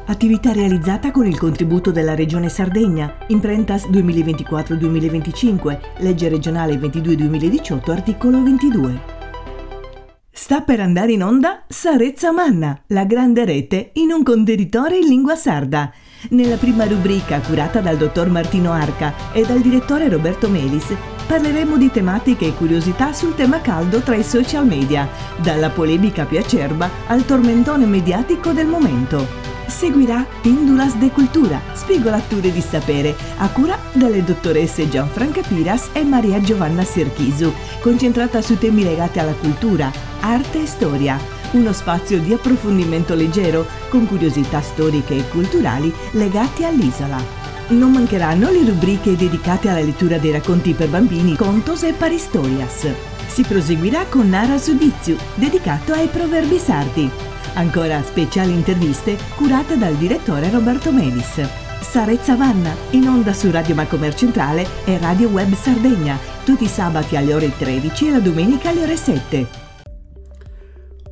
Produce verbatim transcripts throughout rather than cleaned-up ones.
Attività realizzata con il contributo della Regione Sardegna, Imprentas duemilaventiquattro duemilaventicinque, legge regionale ventidue duemiladiciotto, articolo ventidue. Sta per andare in onda Sa Retza Manna, la grande rete in un contenitore in lingua sarda. Nella prima rubrica, curata dal dottor Martino Arca e dal direttore Roberto Melis, parleremo di tematiche e curiosità sul tema caldo tra i social media, dalla polemica più acerba al tormentone mediatico del momento. Seguirà Pindulas de Cultura, spigolature di sapere, a cura delle dottoresse Gianfranca Piras e Maria Giovanna Serchisu, concentrata su temi legati alla cultura, arte e storia. Uno spazio di approfondimento leggero, con curiosità storiche e culturali legate all'isola. Non mancheranno le rubriche dedicate alla lettura dei racconti per bambini, contos e paristorias. Si proseguirà con Nara su Ditzu, dedicato ai proverbi sardi. Ancora speciali interviste curate dal direttore Roberto Melis. Sa Retza Manna, in onda su Radio Macomer Centrale e Radio Web Sardegna, tutti i sabati alle ore tredici e la domenica alle ore sette.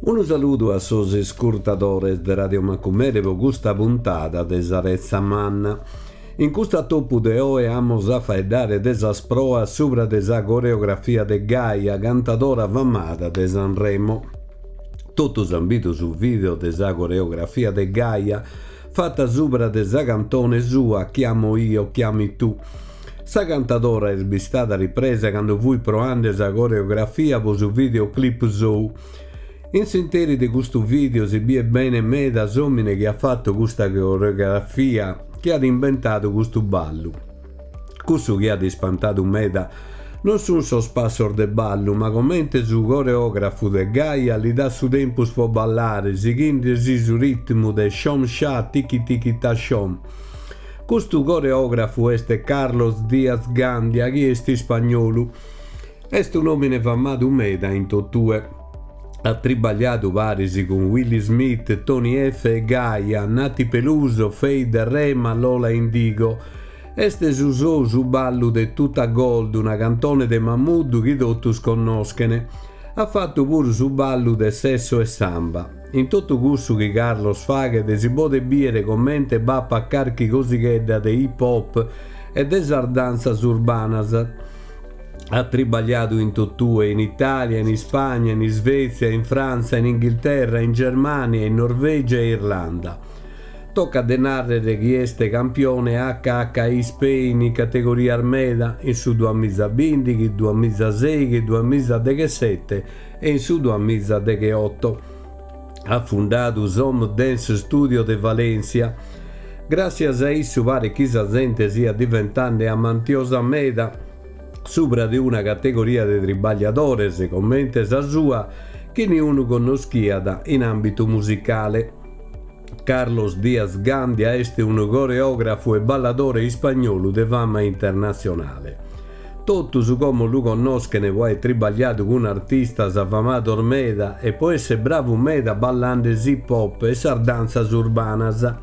Unu saludu a sos iscurtadores de Radio Macumere po custa puntada de Sa Retza Manna. In custu atopu de oe amus a faeddare de sas proas subra de sa coreografia de Gaia, cantadora famada de Sanremo. Totus an bidu su video de sa coreografia de Gaia, fatta subra de sa cantone sua Chiamo io, chiami tu. Sa cantadora est bistada ripresa cando fuit proande sa coreografia po su videoclip sou. In s'interi de custu video si biet bene meda s'omine chi at fattu custa coreografia, chi at imbentadu custu ballu. Cussu chi at ispantadu meda non sun sos passos de ballu, ma comente su coreografu de Gaia li dat su tempus po ballare, sighindesi su ritmu de Shom Sha Tiki Tiki Ta Shom. Custu coreografu est Carlos Diaz Gandia, chi est ispagnolu. Est un'omine famadu meda in totue. At tribagliadu paris cun Willy Smith, Tony Effe e Gaia, Nati Peluso, Feid, Rema, Lola Indigo. Est su sou su ballu de Tuta Gold, una cantone de Mahmood chi totus connoschene. At fattu puru su ballu de Sesso e Samba. In totu cussu chi Carlos faghet si podet biere comente b'apat carchi cosighedda de hip hop e de sas dantzas urbanas. At tribagliadu in totue, in Italia, in Ispagna, in Isvezia, in Frantza, in Inghilterra, in Germania, in Norvegia e Irlanda. Tocat de nàrrere chi est campione H H I Spain in categorias meda, in su duamizabìndighi, duamizaseighi, duamizadeghesete e in su duamizadegheoto. At fundadu s'Home Dance Studio de Valencia. Gràssias a issu paret chi sa zente siat diventande amantiosa meda subra de una categoria de tribagliadores comente sa sua chi niunu connoschiat in àmbitu musicale. Carlos Diaz Gandia est unu coreògrafu e balladore ispagnolu de fama internatzionale. Totus como lu connoschene po aer tribagliadu cun artistas famados meda e po esser bravu meda ballande s'hip hop e sas dantzas urbanas.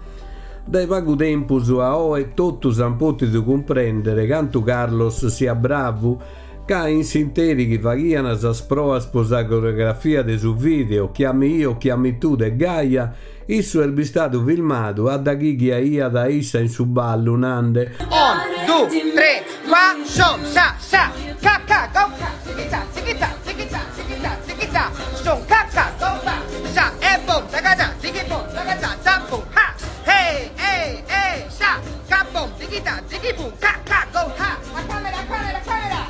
Dae pagu tempus a oe totus an pòtidu cumprèndere cantu Carlos siat bravu, ca in s'interi chi faghian sas proas po sa coreografia de su video Chiami io, chiami tu de Gaia, issu est bistadu filmadu a da chi ghiaiat a issa in su ballu nande Un, due, tre, quattro, shom, sha, sha, ca, ca, go, ca, zichita, zichita, zichita, zichita, zichita, shom, ca, ca, go, ba, sha, e, bom, zagaza, zighi, bom, zagaza, za, bom, ha, hey, hey, hey, sha, ca, bom, zichita, zighi, bom, ca, ca, go, ha, a camera, camera, camera.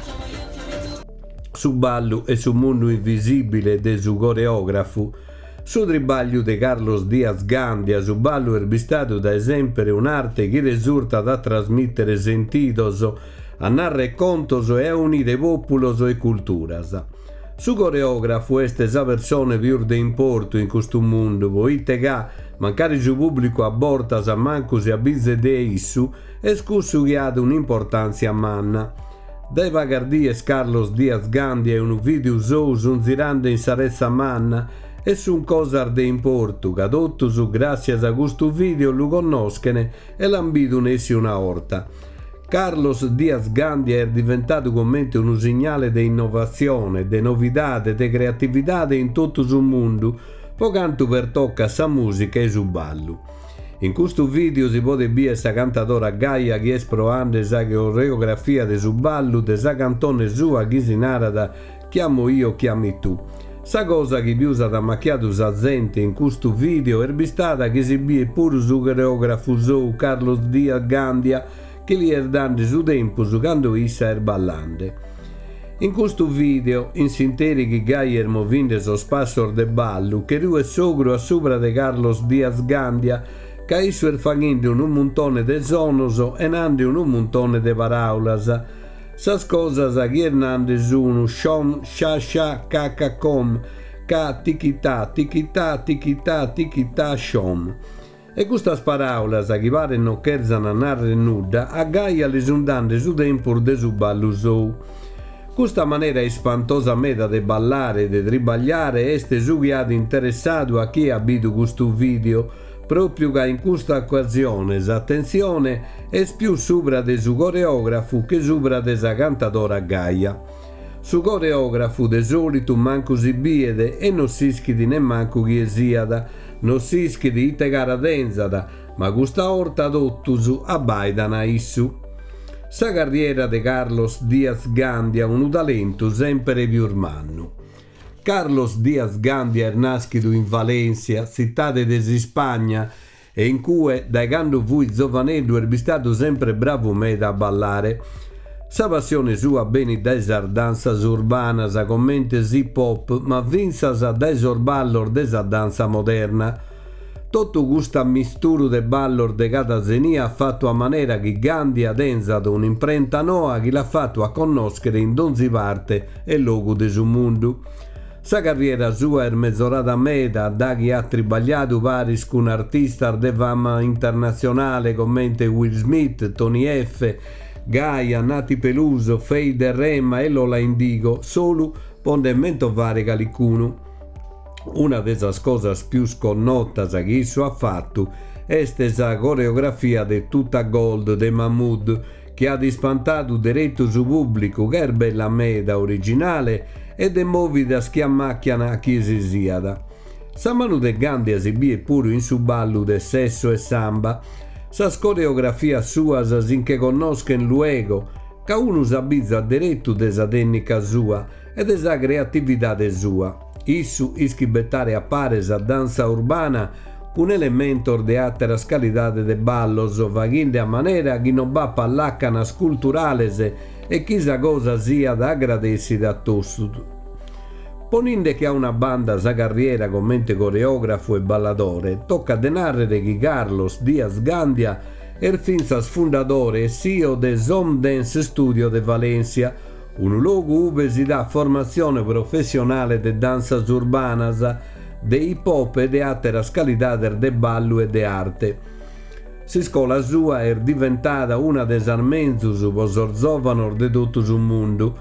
Su ballu e su mundu invisibile de su coreografu. Su tribagliu de Carlos Diaz Gandia, su ballu est bistadu dae sempre un'arte chi resurtat a trasmittere sentidos, a narrer contos e a unire populos e culturas. Su coreografu est sa persone pius de importu in custu mundu, poite ca, mancari su pubblicu a bortas mancu si abizet de issu, est cussu chi at un'importantzia manna. Dae pagas dies Carlos Diaz Gandia e unu video sou sun zirande in sa retza manna e sun cosas de importu, ca totus, gràssias a custu video, lu connoschene e l'an bidu nessi una orta. Carlos Diaz Gandia est diventadu comente unu signale de innovatzione, de novidade, de creatividade in totu su mundu, po cantu pertocat sa musica e su ballu. In custu video si podet bìere sa cantadora Gaia chi est proande sa coreografia de su ballu de sa cantone sua chi si narat Chiamo io, chiami tu. Sa cosa chi pius at ammacchiadu sa zente in custu video est bistada chi si biet puru su coreografu sou Carlos Diaz Gandia chi li est dande su tempus cando issa est ballande. In custu video, in s'interi chi Gaia est movinde sos passos de ballu, che ruet s'ogru a subra de Carlos Diaz Gandia, ca issu est faghende unu muntone de sonos e nande unu muntone de paraulas. Sas cosas chi est nande sunu shom, sha sha, ca ca com, ca tichità, tichità, tichità, tichità, shom. E custas paraulas, chi pare non cherzan narrer nudda, a Gaia li sun dande su tempus de su ballu sou. Custa manera ispantosa meda de ballare e de tribagliare est su chi at interessadu a chie at bidu custu video, propriu ca in custa occasione s'attenzione est pius subra de su coreografu che subra de sa cantadora Gaia. Su coreografu de solitu mancu si biet e non s'ischit nemmancu chie siat, non s'ischit ite cara tenzat, ma custa 'orta totus abbaidan a issu. Sa carriera de Carlos Diaz Gandia, unu talentu sempre pius mannu. Carlos Diaz Gandia est naschidu in Valencia, tzitade de s'Ispagna, e in cue, dae cando fuit zovaneddu, est bistadu sempre bravu meda a ballare. Sa passione sua benit dae sas dansas urbanas comente s'hip hop, ma fintzas dae sos ballos de sa dansa moderna. Totu custu misturu de ballos de cada zenia at fattu a manera chi Gandia tenzat un'imprenta noa chi l'at fattu a connoschere in donzi parte e logu de su mundu. Sa carriera sua est mezorada meda da chi at tribagliadu paris cun artistas de fama internatzionale comente Will Smith, Tony Effe, Gaia, Nati Peluso, Feid Rema e Lola Indigo, solu po nde mentovare calicunu. Una de sas cosas pius connotas chi issu at fattu est sa coreografia de Tutta Gold de Mahmood, chi at ispantadu derettu su pubblicu, ca est bella meda, originale e de movidas chi ammacchian a chie si siat. Sa manu de Gandia si biet puru in su ballu de Sesso e Samba. Sas coreografias suas si nche connoschen luego, ca unu s'abizat derettu de sa tecnica sua e de sa creatividade sua. Issu ischit bettare a pare sa dansa urbana cun elementos de àteras calidades de ballos, faghende a manera chi non b'apat làcanas culturales e chi sa cosa siat agradessida a totus. Poninde che a una banda sa carriera comente coreografu e balladore, toccat de narrere chi Carlos Diaz Gandia est fintzas fundadore e C E O de Som Dance Studio de Valencia, unu logu ube si dat formatzione professionale de dansas urbanas, de hip hop e de àteras calidades de ballu e de arte. S'iscola sua est diventada una de sas menzus po sos zovanos de totu su mundu.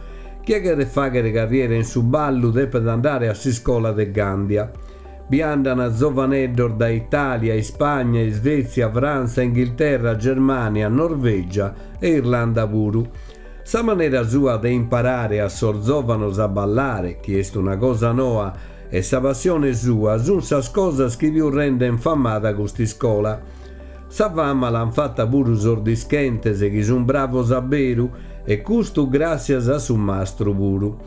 Chie cheret faghere carriera in su ballu depet andare a s'iscola de Gandia. Bi andan zovaneddos da Italia, Ispagna, Svezia, Frantza, Inghilterra, Germania, Norvegia e Irlanda puru. Sa manera sua de imparare a sos zovanos a ballare, chi est una cosa noa, e sa passione sua sun sas cosas chi pius renden famada cust'iscola. Sa fama l'han fatta puru sos dischentes, chi sun bravos a beru, e custu gràssias a su mastru puru.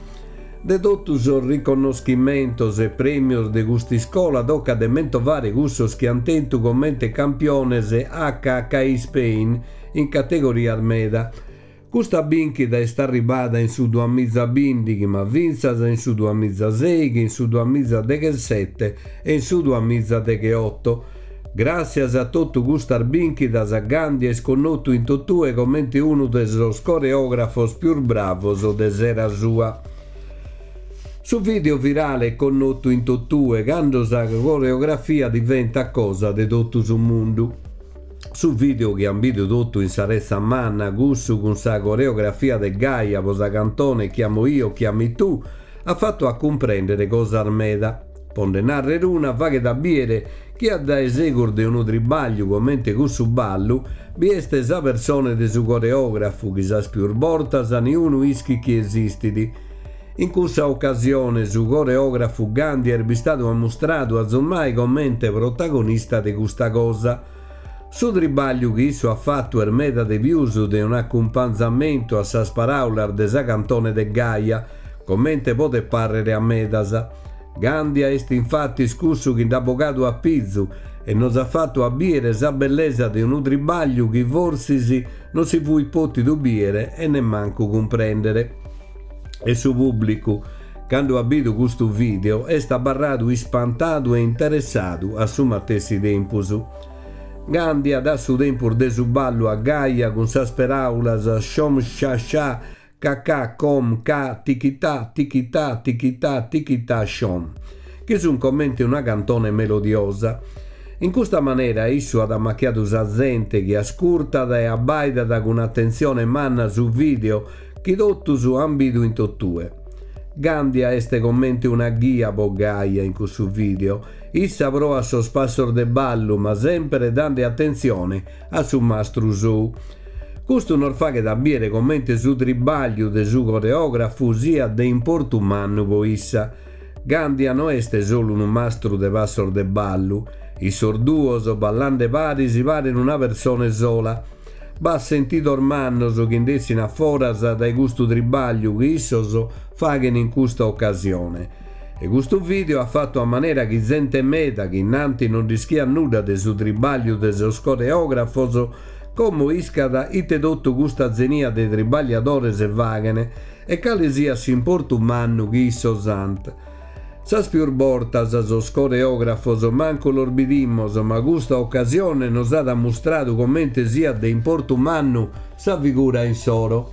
De totus sos riconnoschimentos e premios de cust'iscola toccat de mentovare cussos chi han tentu comente campiones H K I Spain in categorias meda. Custa binchida est arribada in su duamizabindighi, ma fintzas in su duamizaseighi, in su duamizadechesette e in su duamizadecheotto. Gràssias a totu custas binchidas, Gandia est connotu in totue comente unu de sos coreografos pius bravos de s'era sua. Su video virale è connotu in totue cando sa coreografia diventa cosa de totu su mundu. Su video chi han bidu totu in sa retza manna, cussu cun sa coreografia de Gaia po sa cantone Chiamo io, chiami tu, ha fattu a cumprendere cosas meda. Po nde narrer una, faghet a biere chi a dae segus de unu tribagliu comente cussu ballu bi est sa persone de su coreografu chi sas pius bortas niunu ischit chi esistit. In cussa occasione su coreografu Gandia est bistadu ammustradu azummai comente protagonista de custa cosa. Su tribagliu chi issu at fatu est meda de pius de un'acumpanzamentu a sas paraulas de sa cantone de Gaia, comente podet parrere a medas. Gandia est infatis cussu chi nd'at bogadu a pizu e nos at fatu a biere sa bellesa de unu tribagliu chi forsis non si fuit potidu biere e nemmancu cumprendere. E su pubblicu, cando at bidu custu video, est abarradu ispantadu e interessadu a su matessi tempus. Gandia dat su tempus de su ballu a Gaia cun sas peraulas shom sha sha ca com ca tichità tichità tichità tichità shom, chi sun comente una cantone melodiosa. In custa manera issu at ammacchiadu sa zente chi ascurtat e abbaidat cun atentzione manna su video chi totus an bidu in totue. Gandia est comente una ghia po Gaia in cussu video. Issa proat sos passos de ballu, ma sempre dande atentzione a su mastru sou. Custu nos faghet a biere comente su tribagliu de su coreografu siat de importu mannu po issa. Gandia no est solu unu mastru de passos de ballu. Issos duos, ballande paris, paren una persone sola. B'at sentidos mannos chi nd'essin a foras dae custu tribagliu chi issos faghen in custa occasione. E custu video at fatu a manera chi zente meda, chi innanti non nd'ischiat nudda de su tribagliu de sos coreografos, como iscat ite totu custa zenia de tribagliadores faghen e cale siat s'importu mannu chi issos ant. Sas pius bortas sos coreografos mancu los bidimos, ma custa occasione nos at mustradu comente siat de importu mannu sa figura insoro.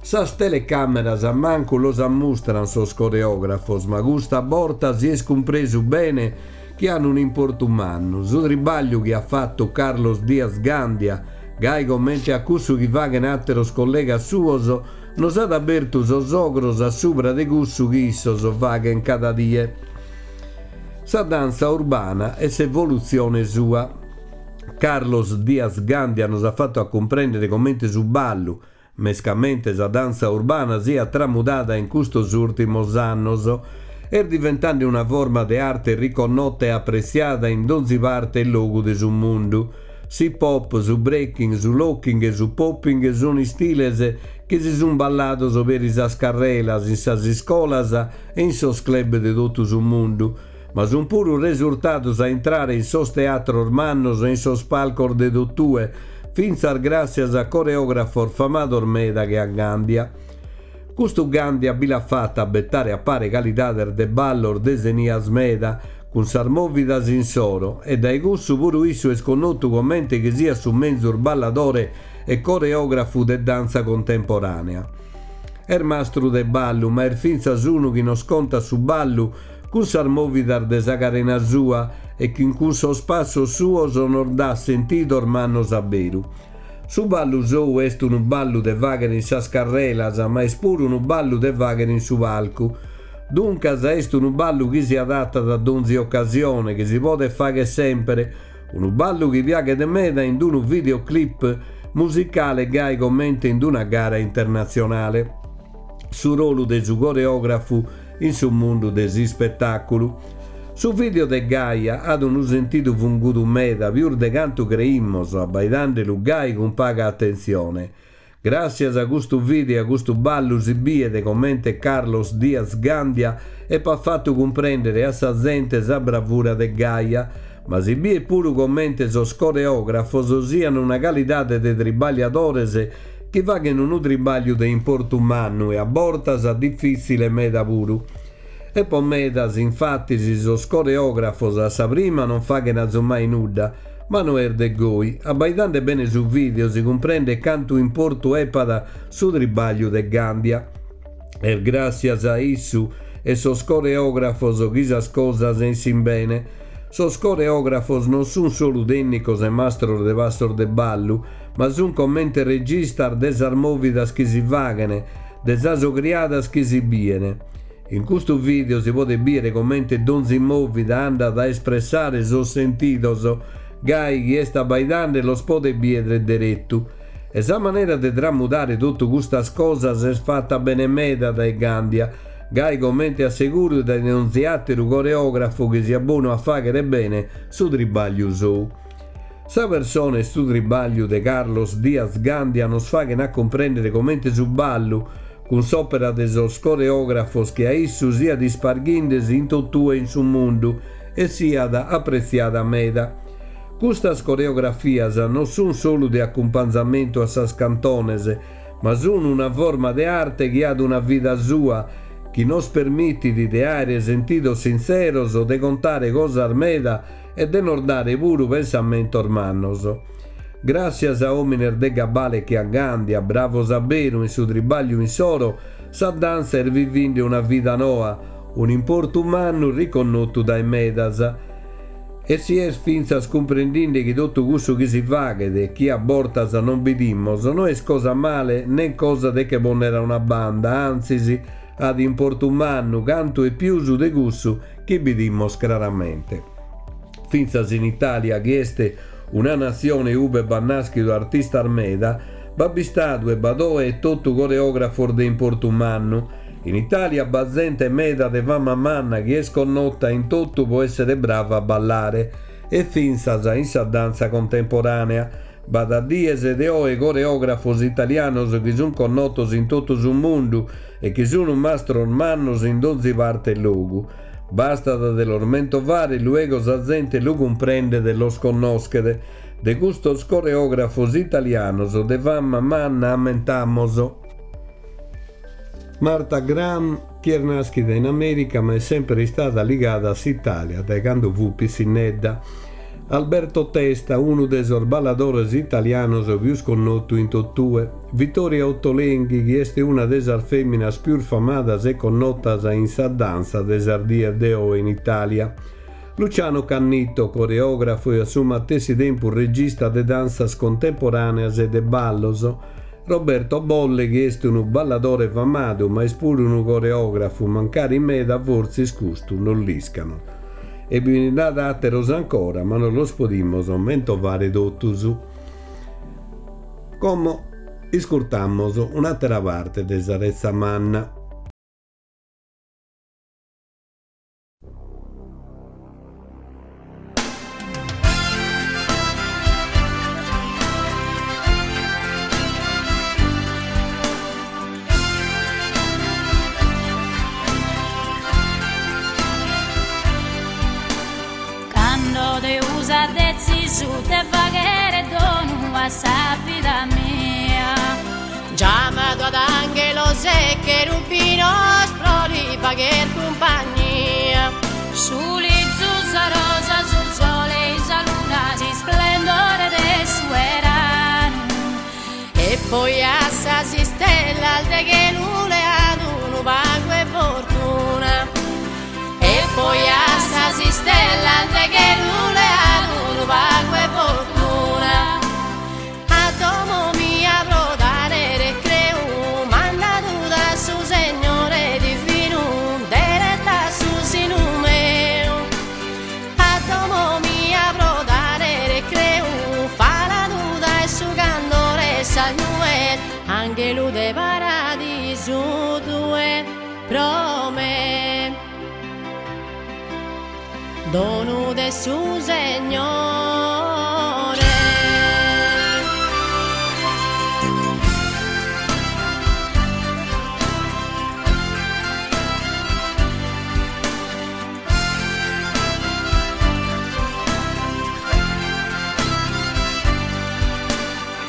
Sas telecameras mancu los ammustran sos coreografos, ma custa borta si est cumpresu bene chi han un importu mannu. Su tribagliu chi at fatu Carlos Diaz Gandia, gai comente a cussu chi faghen ateros collegas suos, nos at abertu sos ogros a subra de cussu chi issos faghen cada die. Sa danza urbana e s'evolutzione sua. Carlos Diaz Gandia nos at fatu a cumprendere comente su ballu, mescamente sa danza urbana, siat tramudada in custos urtimos annos, est diventande una forma de arte riconnotta e appressiada in donzi parte e logu de su mundu. S'hip hop, su breaking, su locking e su popping sun istiles chi si sun ballados peri sas carrelas, in sas iscolas e in sos club de totu su mundu, ma sun puru resurtados a intrare in sos teatros mannos e in sos palcos de totue, fintzas gràssias a coreografos famados meda che a Gandia. Custu Gandia bi l'at fatta a bettare a pare calidades de ballos de zenias meda, cun sas movidas insoro, e dae cussu puru issu est connotu comente chi siat su menzus balladore e coreografu de danza contemporanea. Est mastru de ballu, ma est fintzas unu chi nos contat su ballu cun sas movidas de sa carena sua e chi cun sos passos suos nos dat sentidos mannos a beru. Su ballu sou est unu ballu de faghere in sas carrelas, ma est puru unu ballu de faghere in su palcu. Duncas est unu ballu chi si adattat a donzi occasione, chi si podet fagher sempre, unu ballu chi piaghet meda in unu videoclip musicale gai comente in una gara internatzionale. Su rolu de su coreografu in su mundu de s'ispettaculu. Su video de Gaia at unu sentidu fungudu meda, pius de cantu creimos, abbaidandelu gai cun paga atentzione. Gràssias a custu video e a custu ballu si biet comente Carlos Diaz Gandia epat fatu cumprendere a sa zente sa bravura de Gaia, ma si biet puru comente sos coreografos sian una calidade de tribagliadores chi faghen unu tribagliu de importu mannu e a bortas diffitzile meda puru. E po medas, infatis, sos coreografos a sa prima non faghen azumai nudda, ma no est de goi. Abbaidande bene su video si cumprendet cantu importu epat su tribagliu de Gandia. Est gràssias a issu e sos coreografos chi sas cosas essin bene. Sos coreografos non sun solu tènnicos e mastros de passos de ballu, ma sun comente registas de sas movidas chi si faghen, de sas ogriadas chi si bien. In custu video si podet biere comente donzi movida andat a espressare sos sentidos, gai chi est abbaidande los podet biere derettu. E sa manera de tramudare totu custas cosas est fatta bene meda dae Gandia, gai comente a seguru dae donzi ateru coreografu chi siat bonu a faghere bene su tribagliu sou. Sa persone e su tribagliu de Carlos Diaz Gandia nos faghen a cumprendere comente su ballu, cun s'opera de sos coreografos che a issu, siat isparghindesi in totue in su mundu e siat apretziada meda. Custas coreografias non sun solu de acumpanzamentu a sas cantones, ma sun una forma de arte chi at una vida sua, chi nos permitit de àere sentidos sintzeros, de contare cosas meda e de nos dare puru pensamentos mannos. Gràssias a òmines de gabale che a Gandia, bravos a beru in su tribagliu insoro, sa danza est vivinde una vida noa, un'importu mannu riconnotu dae medas. E si est fintzas cumprendinde chi totu cussu chi si faghet e chi a bortas non bidimos no est cosa male nen cosa de che ponnere a una banda, antzis at importu mannu cantu e pius de cussu chi bidimos craramente. Fintzas in Italia, chi est una natzione ube b'at naschidu artistas meda, b'at bistadu e b'at oe e totu coreografos de importu mannu. In Italia b'at zente meda de fama manna chi est connota in totu po essere brava a ballare e fintzas in sa danza contemporanea. B'at a dies de oe coreografos italianos chi sun connotos in totu su mundu e chi sun mastros mannos in donzi parte e logu. Bastat de los mentovare, luego sa zente lu cumprendet e los connoschet. De custos coreografos italianos de fama manna ammentamos Martha Graham, chi est naschida in America ma est sempre istada ligada a s'Italia dae cando fu pitzinnedda. Alberto Testa, unu de sos balladores italianos pius connotu in totue. Vittoria Ottolenghi, chi est una de sas feminas pius famadas e connotas in sa danza de sas dies de oe in Italia. Luciano Cannito, coreografo e a su matessi tempus regista de danzas contemporaneas e de ballos. Roberto Bolle, chi est unu balladore famadu, ma est puru unu coreografu, mancari meda fortzis custu non l'iscano. E bi nd'at àteros ancora, ma non los podimos mentovare totus. Como iscurtamos un'àtera parte de sa Retza Manna. Cando Deus at detzisu de faghere donu a sa vida mia, Giamadu ad anghelos e cherubinos pro li fagher cumpagnia. Su lizu, sa rosa, su sole e sa luna, s'isplendore de su eranu. E poi a sas istellas de chelu leadu unu pagu 'e fortuna. E poi a sas istellas de chelu leadu unu pagu 'e fortuna. A domo mia pro dare recreu, mandadu da su Segnore divinu, deretta su sinu meu. A domo mia pro dare recreu, faladu dae su candore sas nues, anghelu de paradisu tue pro me. Donu de su Segnore.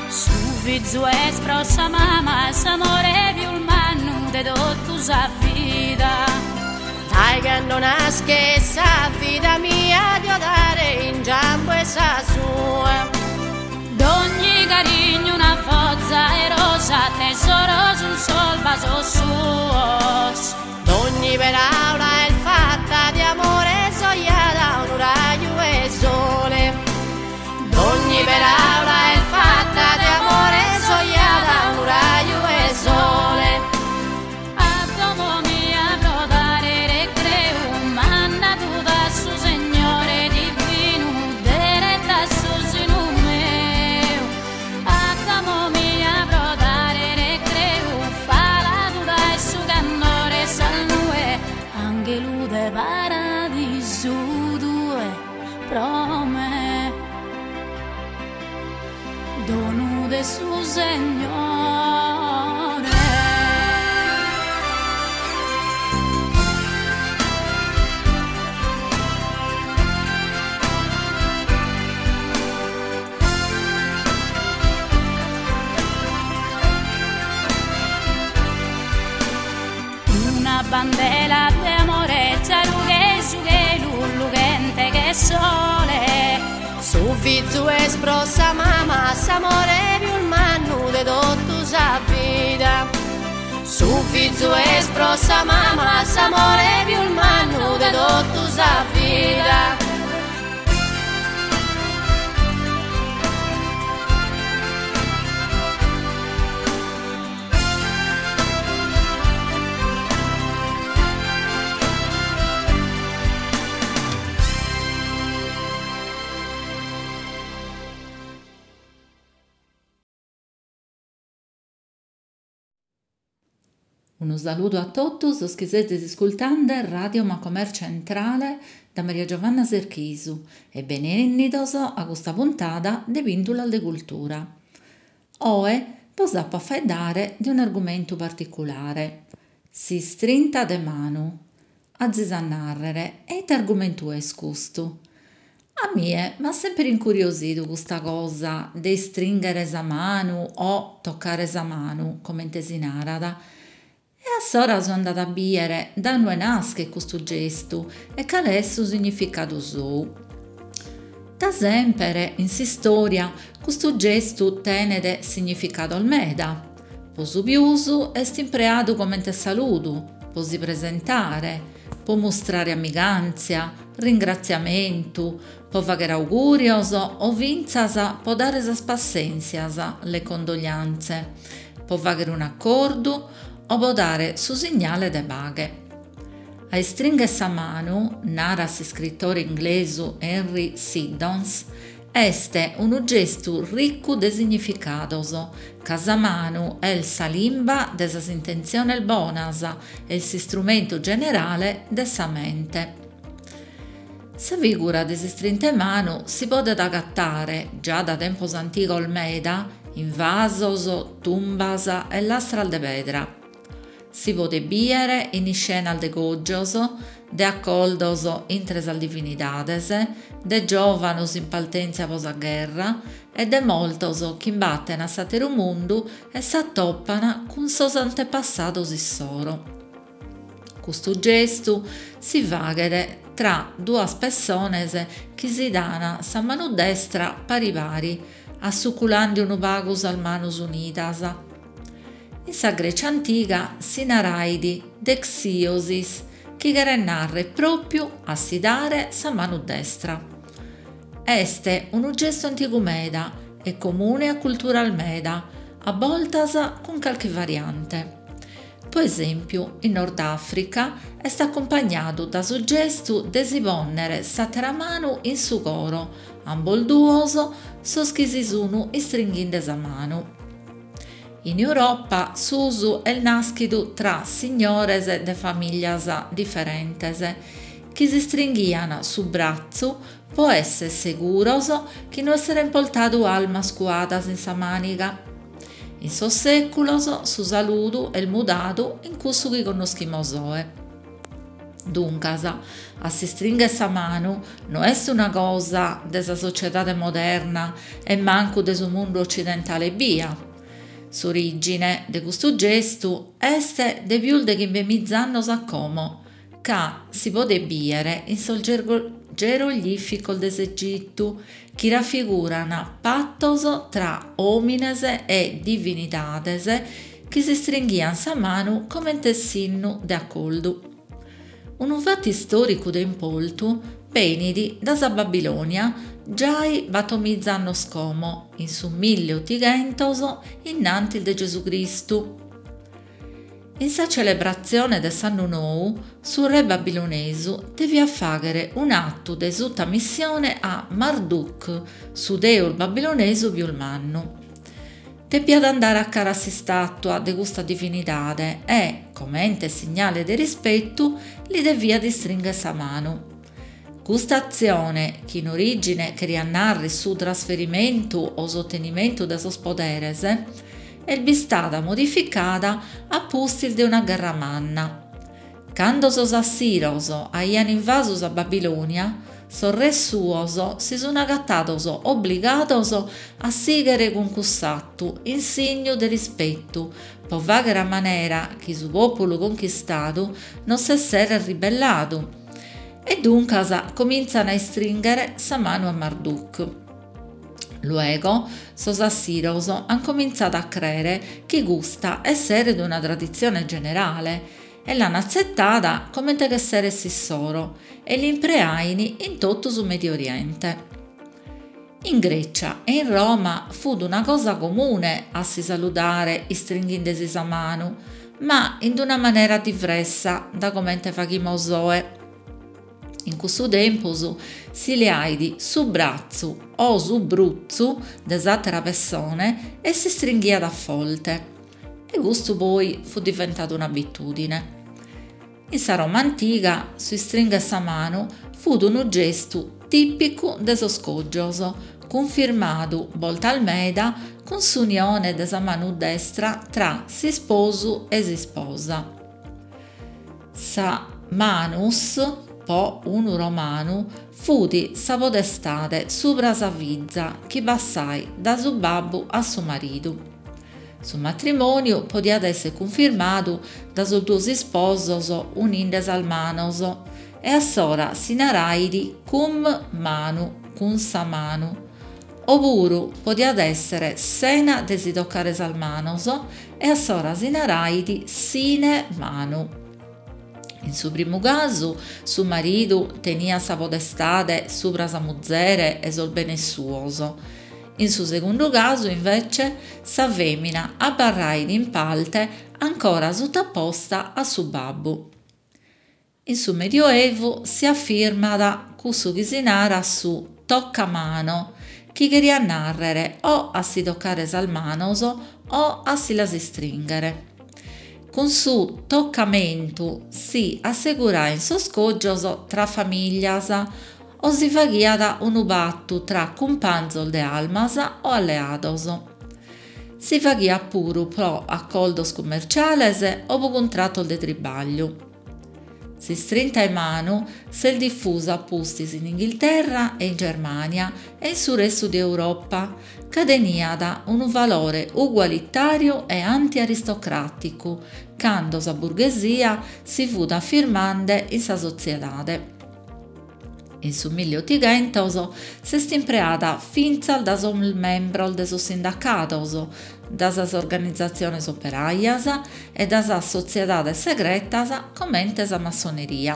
Su fizu est pro sa mama s'amore pius mannu de totu sa vida. Dai cando nasche sa vida mia dio dare in giambo e sa sua. D'ogni carigno una foza e rosa, tesoro sun sol basos suos. D'ogni paraula è fatta di amore, sogliata un raggio e sole. D'ogni paraula è fatta di amore, sogliata un raggio e sole. A domo mia pro dare recreu, mandadu da su Segnore divinu, deretta su sinu meu. A domo mia pro dare recreu, faladu dae su Donu de su Segnore. Una bandela de amore già che su chelu lughente che sole. Su fizu est pro sa mama s'amore pius mannu de totu sa vida. Su fizu est pro sa mama s'amore pius mannu de totu sa vida. Unu saludu a totus sos chi sezis iscultende Radio Macomer Centrale da Maria Giovanna Serchisu e benennidos a custa puntada de Pìndulas de Cultura. Oe bos apo a faeddare de un'argumentu particulare, s'istrinta de manu. Azis a nàrrere, e ite argumentu est custu? A mie m'at semper incuriosidu custa cosa de istrìnghere sa manu o tocare sa manu, comente si narat. E assora so andada a bìdere dae ue naschet custu gestu e cale est su significadu sou. Da semper in s'istòria custu gestu tenet significados meda. Po su pius est impreadu comente saludu, po si presentare, po mustrare amigàntzia, ringratziamentu, po fàghere augùrios o fintzas po dare sas passèntzias, le condoglianze, po fàghere un'acordu o po dare su signale de paghe. A istrìnghere sa manu, narat s'iscritore inglesu Henry Siddons, est unu gestu ricu de significados, ca sa manu est sa limba de sas intentziones bonas e s'istrumentu generale de sa mente. Sa figura de s'istrinta 'e manu si podet agatare, già da tempos antigos meda, in vasos, tumbas e lastras de pedra. Si podet bìdere in iscenas de cògios, de acordos intre sas divinidades, de giòvanos in partèntzia pro sa gherra e de mortos chi imbaten a s'àteru mundu e s'atopan cun sos antepassados issoro. Custu gestu si faghet tra duas pessones chi si dan sa manu destra pari pari, assuculende unu pagu sas manos unidas. In sa Grecia antiga si narait dexiosis, chi cheret nàrrere pròpiu a si dare sa manu destra. Est unu gestu antigu meda e comune a culturas meda, a bortas cun carchi variante. Po esèmpiu, in Nord Àfrica est acumpagnadu dae su gestu de si pònnere s'àtera manu in su coro, ambos duos sos chi si sun istringhende sa manu. In Europa s'usu est nàschidu tra signores de famìllias diferentes, chi s'istringhian su bratzu po èssere seguros chi no esseren portadu armas cuadas in sa màniga. In sos sèculos su saludu est mudadu in cussu chi connoschimus oe. Duncas, a s'istringhere sa manu no est una cosa de sa sotziedade moderna e mancu de su mundu otzidentale ebbia. S'orìgine de custu gestu est de pius de chimbe miza annos a como, ca si podet bìdere in sos geroglìficos de s'Egitu, chi rafiguran patos tra òmines e divinidades chi s'istringhian sa manu comente sinnu de acordu. Unu fatu istòricu de importu benit dae sa Babilònia giai bator miza annos como, in su milli otighentos innantis de Gesù Cristu. In sa celebratzione de s'annu nou, su re babilonesu deviat fàghere un'atu de sutamissione a Marduk, su deus babilonesu pius mannu. Depiat andare a cara a s'istàtua de custa divinidade e, comente signale de rispetu, li deviat istringher sa manu. Custa atzione, chi in orìgine cheriat nàrrere su trasferimentu o s'otenimentu de sos poderes, est bistada modificada a pustis de una gherra manna. Cando sos assiros aian invasu sa Babilònia, sos res suos si sun agatados obligados a sìghere cun cuss'atu in signu de rispetu pro fàghere a manera chi su pòpulu conchistadu non s'esseret ribelladu e duncas comintzan a istrìnghere sa manu a Marduk. Luego sos assiros an comintzadu a crèere chi custa esseret una traditzione generale e l'an atzetada comente chi esseret s'issoro e l'impreain in totu su Mediu Oriente. In Grècia e in Roma fut una cosa comune a si saludare istringhende·si sa manu, ma in una manera divressa da comente faghimos oe. In cussu tempus si leait su bratzu o su brutzu de s'àtera pessone e s'istringhiat a forte. E custu poi fut diventadu un'abitùdine. In sa Roma antiga su istringher sa manu fut unu gestu tìpicu de sos cògios, cunfirmadu boltas meda cun s'unione de sa manu destra tra s'isposu e s'isposa. Sa manus, po unu romanu, fut sa podestade subra sa fiza chi passait da su babbu a su maridu. Su matrimòniu podiat èssere cunfirmadu da sos duos isposos uninde sas manos e assora si narait cum manu, cun sa manu, opuru podiat èssere sena de si tocare sas manos e assora si narait sine manu. In su primu casu su maridu teniat sa podestade subra sa muzere e sos benes suos. In su segundu casu, invece, sa fèmina abarrait in parte ancora sutaposta a su babbu. In su Medioevu si afirmat cussu chi si narat su toccamano, chi cheriat nàrrere o a si tocare sas manos o a si las istrìnghere. Cun su tocamentu si assegurain sos cògios tra famìlias o si faghiat unu patu tra cumpanzos de armas o alleados. Si faghiat puru pro acordos cummerciales o pro cuntratos de tribàgliu. S'istrinta 'e manu s'est difusa a pustis in Inghilterra e in Germània e in su restu de Europa, ca teniat unu valore ugualitàriu e antiaristocràticu, cando sa burghesia si fut afirmende in sa sotziedade. In su milleotighentos s'est impreada fintzas da sos membros de sos sindacados, da sas organizatziones operaias e da sas sotziedades segretas comente sa massoneria.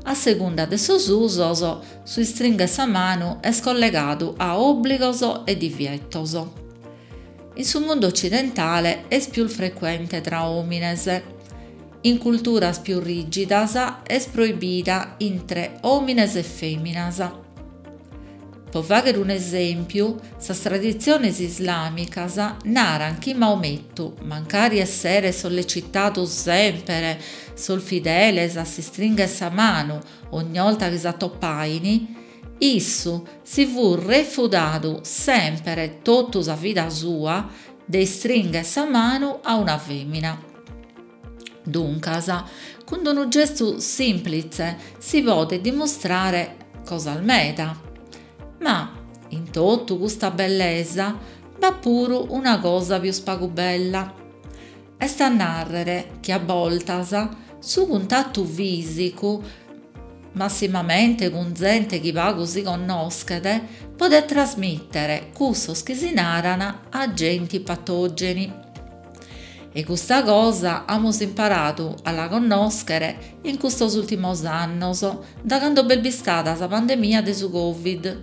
A segunda de sos usos, su istringher sa manu est collegadu a òbligos e divietos. In su mundu otzidentale est pius frecuente tra òmines. In culturas pius rìgidas est proibida intre òmines e fèminas. Pro fàghere un'esèmpiu, sas traditziones islàmicas naran chi Maomettu, mancari esseret sollecitadu semper sos fideles a s'istringher sa manu ogni 'olta chi s'atopain, issu si fut refudadu semper totu sa vida sua de istringher sa manu a una fèmina. Duncas, cun unu gestu sìmplitze si podet dimustrare cosas meda. Ma, in totu custa bellesa, b'at puru una cosa pius pagu bella. Est a nàrrere chi a boltas su cuntatu fìsicu, massimamente cun zente chi pagu si connoschet, podet trasmìtere cussos chi si naran agenti patògeni. E custa cosa amus imparadu a la connòschere in custos ùrtimos annos, da cando b'est bistada sa pandemia de su Covid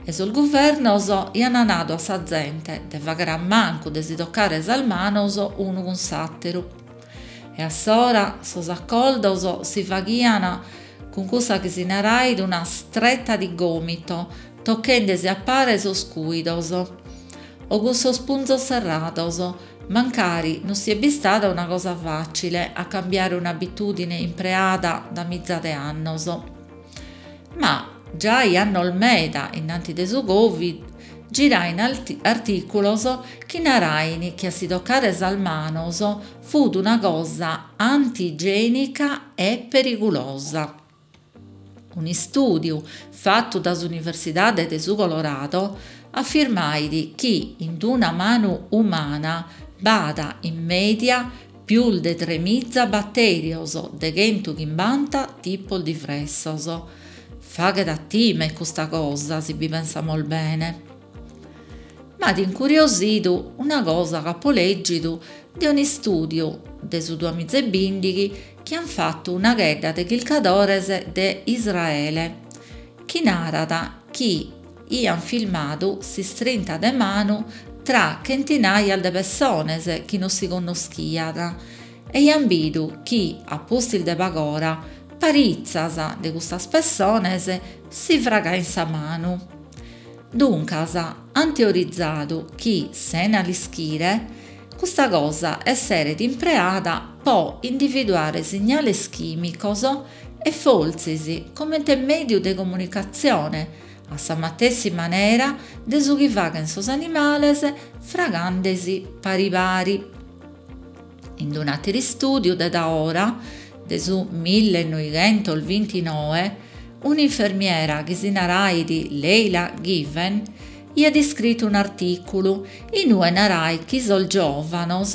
e sos guvernos iant nadu a sa zente de fàghere a mancu de si tocare sas manos unu cun s'àteru. E assora sos acordos si faghian cun cussa chi si narait una stretta di gomito, tochende·si a pare sos cùidos o cun sos punzos serrados, mancari non siet bistada una cosa fàcile a cambiare un'abitùdine impreada da miza de annos. Ma giai annos meda innanti de su Covid girain artìculos chi narain chi a si toccare sas manos fut una cosa antigienica e perigulosa. Un'istùdiu fatu dae s'Universidade de su Colorado afirmait chi in una manu umana b'at in mèdia pius de tremiza batèrios de chentu chimbanta tipos diversos. Faghet a time custa cosa, si bi pensamus bene. M'at incuriosidu una cosa chi apo lègidu de un'istùdiu de su duamiza e bìndighi chi ant fatu una chedda de chircadores de Israele, chi narat chi iant filmadu s'istrinta de manu tra chentinaias de pessones chi non si connoschiant e iant bidu chi, a pustis de pag'ora, paritzas de custas pessones si fragaint sa manu. Duncas, ant teorizadu chi, sena l'ischire, custa cosa esseret impreada po individuare signales chìmicos e fortzis comente mèdiu de comunicatzione, a sa matessi manera de su chi faghent sos animales fragandesi pari pari. In un'àteru istùdiu de daora, de su millenovighentos bintinoe, un'infermiera chi si narait Leila Given iat iscritu un'artìculu in ue narait chi sos giòvanos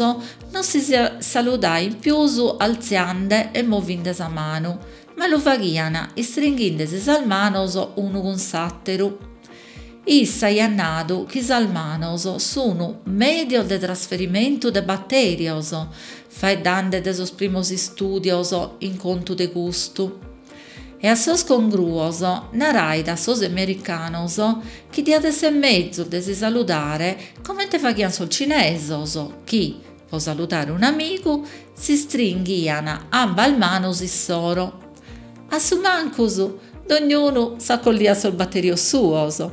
non si saludaint pius altziande e movinde sa manu, ma lu faghiant istringhindesi sas manos unu cun s'àteru. Issa aiat nadu chi sas manos sun mèdios de trasferimentu de batèrios, faeddande de sos primos istùdios in contu de custu. E a sos congruos narait a sos americanos chi diat esser mezus de si saludare comente faghiant sos cinesos, chi, po saludare un'amigu, s'istringhiant ambas manos issoro. A su mancus, dognunu s'acolliat sos batèrios suos.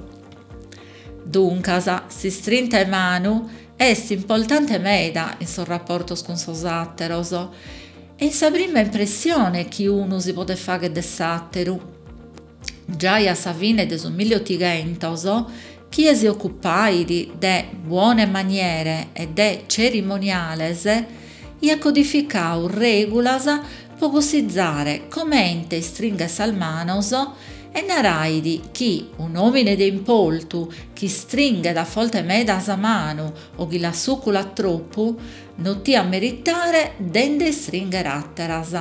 Duncas, s'istrinta 'e manu est importante meda in sos raportos cun sos àteros e in sa prima impressione chi unu si podet fagher de s'àteru. Giai a sa fine de su milleotighentos, chie si ocupait de buone maniere e de cerimoniales iat codificadu règulas po cussizare comente istringher sas manos e narait chi un'òmine de importu chi istringhet a forte meda sa manu o chi la sùculat tropu non tiat meritare de nde istringher àteras.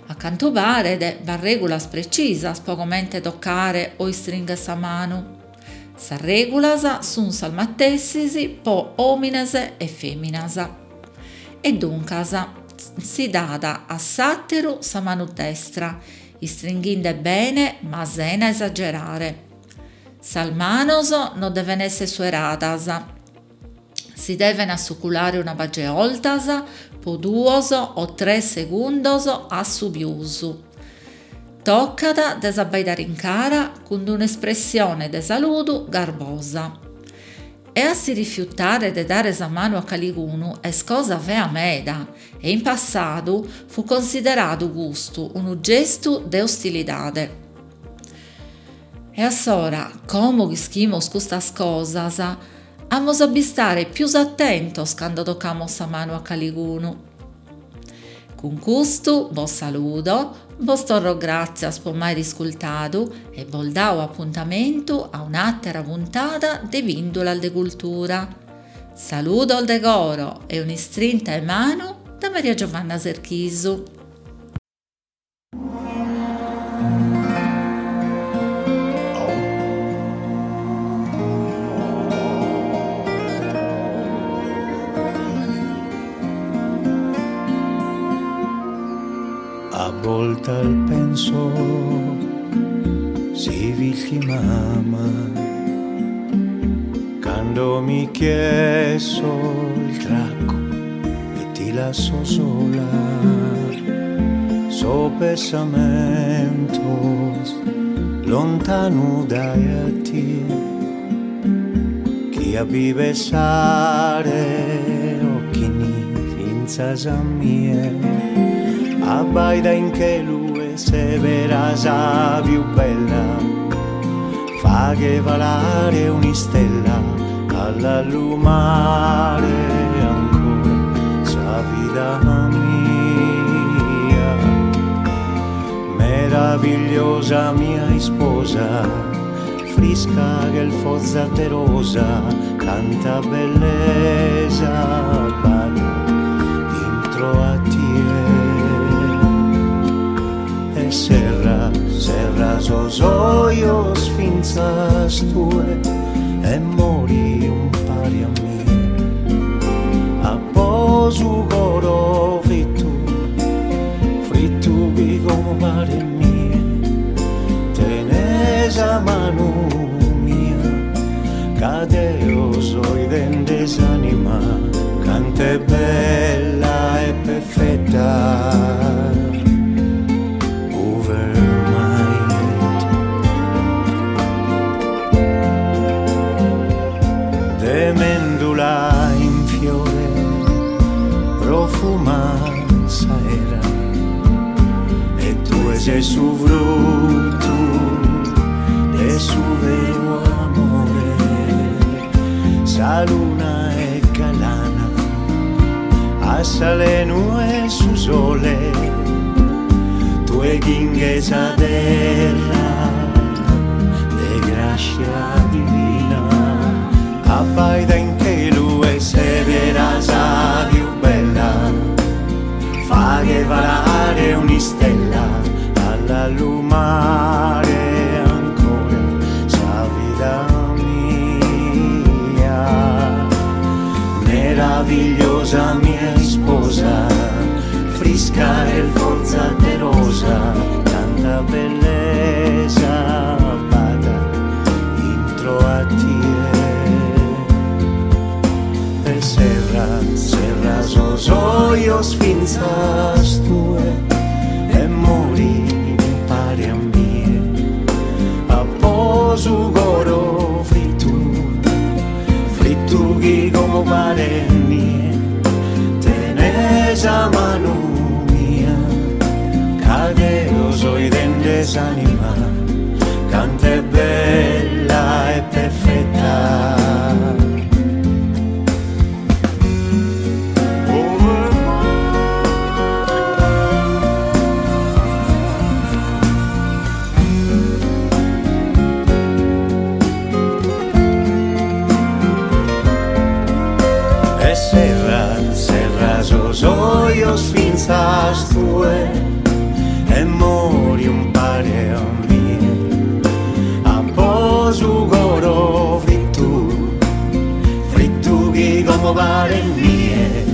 A cantu paret b'at règulas precisas po comente tocare o istringher sa manu. Sas règulas sunt sas matessis po òmines e fèminas. E duncas si dat a s'àteru sa manu destra, istringhinde bene ma sena esagerare. Sas manos non deven esser sueradas. Si deven assuculare una pagi 'e 'oltas po duos o tres segundos a su pius. Tocat de s'abbaidare in cara cun un'espressione de saludu garbosa. E a si rifiutare de dare sa manu a calicunu est cosa fea meda e in passadu fu consideradu custu unu gestu de ostilidade. E a s'ora, como chi ischimos custas cosas, amos a bistare pius atentos cando tocamos sa manu a calicunu. Cun custu bos saludo, bos torro gràtzias po m'aer iscultadu e bos dao apuntamentu a un'àtera puntada de Pìndulas de Cultura. Saludos de coro e un'istrinta 'e manu da Maria Giovanna Serchisu. A volta al penso si vici mamma quando mi chieso il tracco e ti lascio sola so pensamentos lontano dai a ti chi a vivesare occhi ni finzas a mie. Abbaida in chelu e severa sa più bella, faghe volare un'istella all'allumare ancora sa vida mia. Meravigliosa mia isposa, frisca che il foza de rosa, canta bellezza, bada intro a tie. E serra, serra sos ojos finzas tue, e mori un pari a me. Apposu coro frittu, frittu chi come pare mie, tenesa manu mia, cadeo soi dende s'anima, cante bella e perfetta. Mendula in fiore profuma saera e tu sei su frutto de su vero amore, sa luna è galana a salenu e su sole, tu e ginghe sa terra de grazia divina. Abbaida in chelu e severa sa più bella, faghe volare un'istella all'allumare ancora sa vida mia. Meravigliosa mia sposa, frisca e forza de rosa, tanta bellezza bada intro a tie. Serra, serra sos ojos finzas tue e mori pare a mie. Apposu coro frittu, frittu chi come pare mie, tenesa manu mia, cadeo soi dende s'anima, cante bella e perfetta. Sos ojos finzas tue e mori un pare a mie. Apposu coro frittu, frittu chi come pare mie,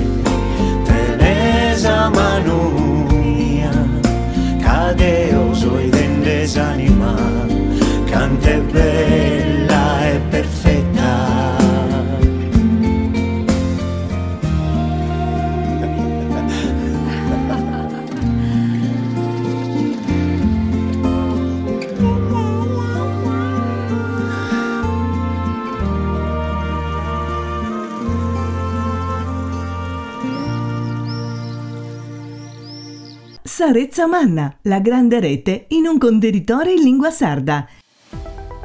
tenesa manu mia, cadeo soi dende s'anima, cante bella e perfetta. Sa Retza Manna, la grande rete in un contenitore in lingua sarda.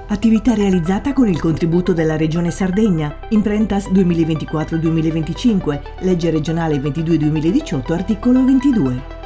Attività realizzata con il contributo della Regione Sardegna, Imprentas duemilaventiquattro duemilaventicinque, legge regionale ventidue duemiladiciotto, articolo ventidue.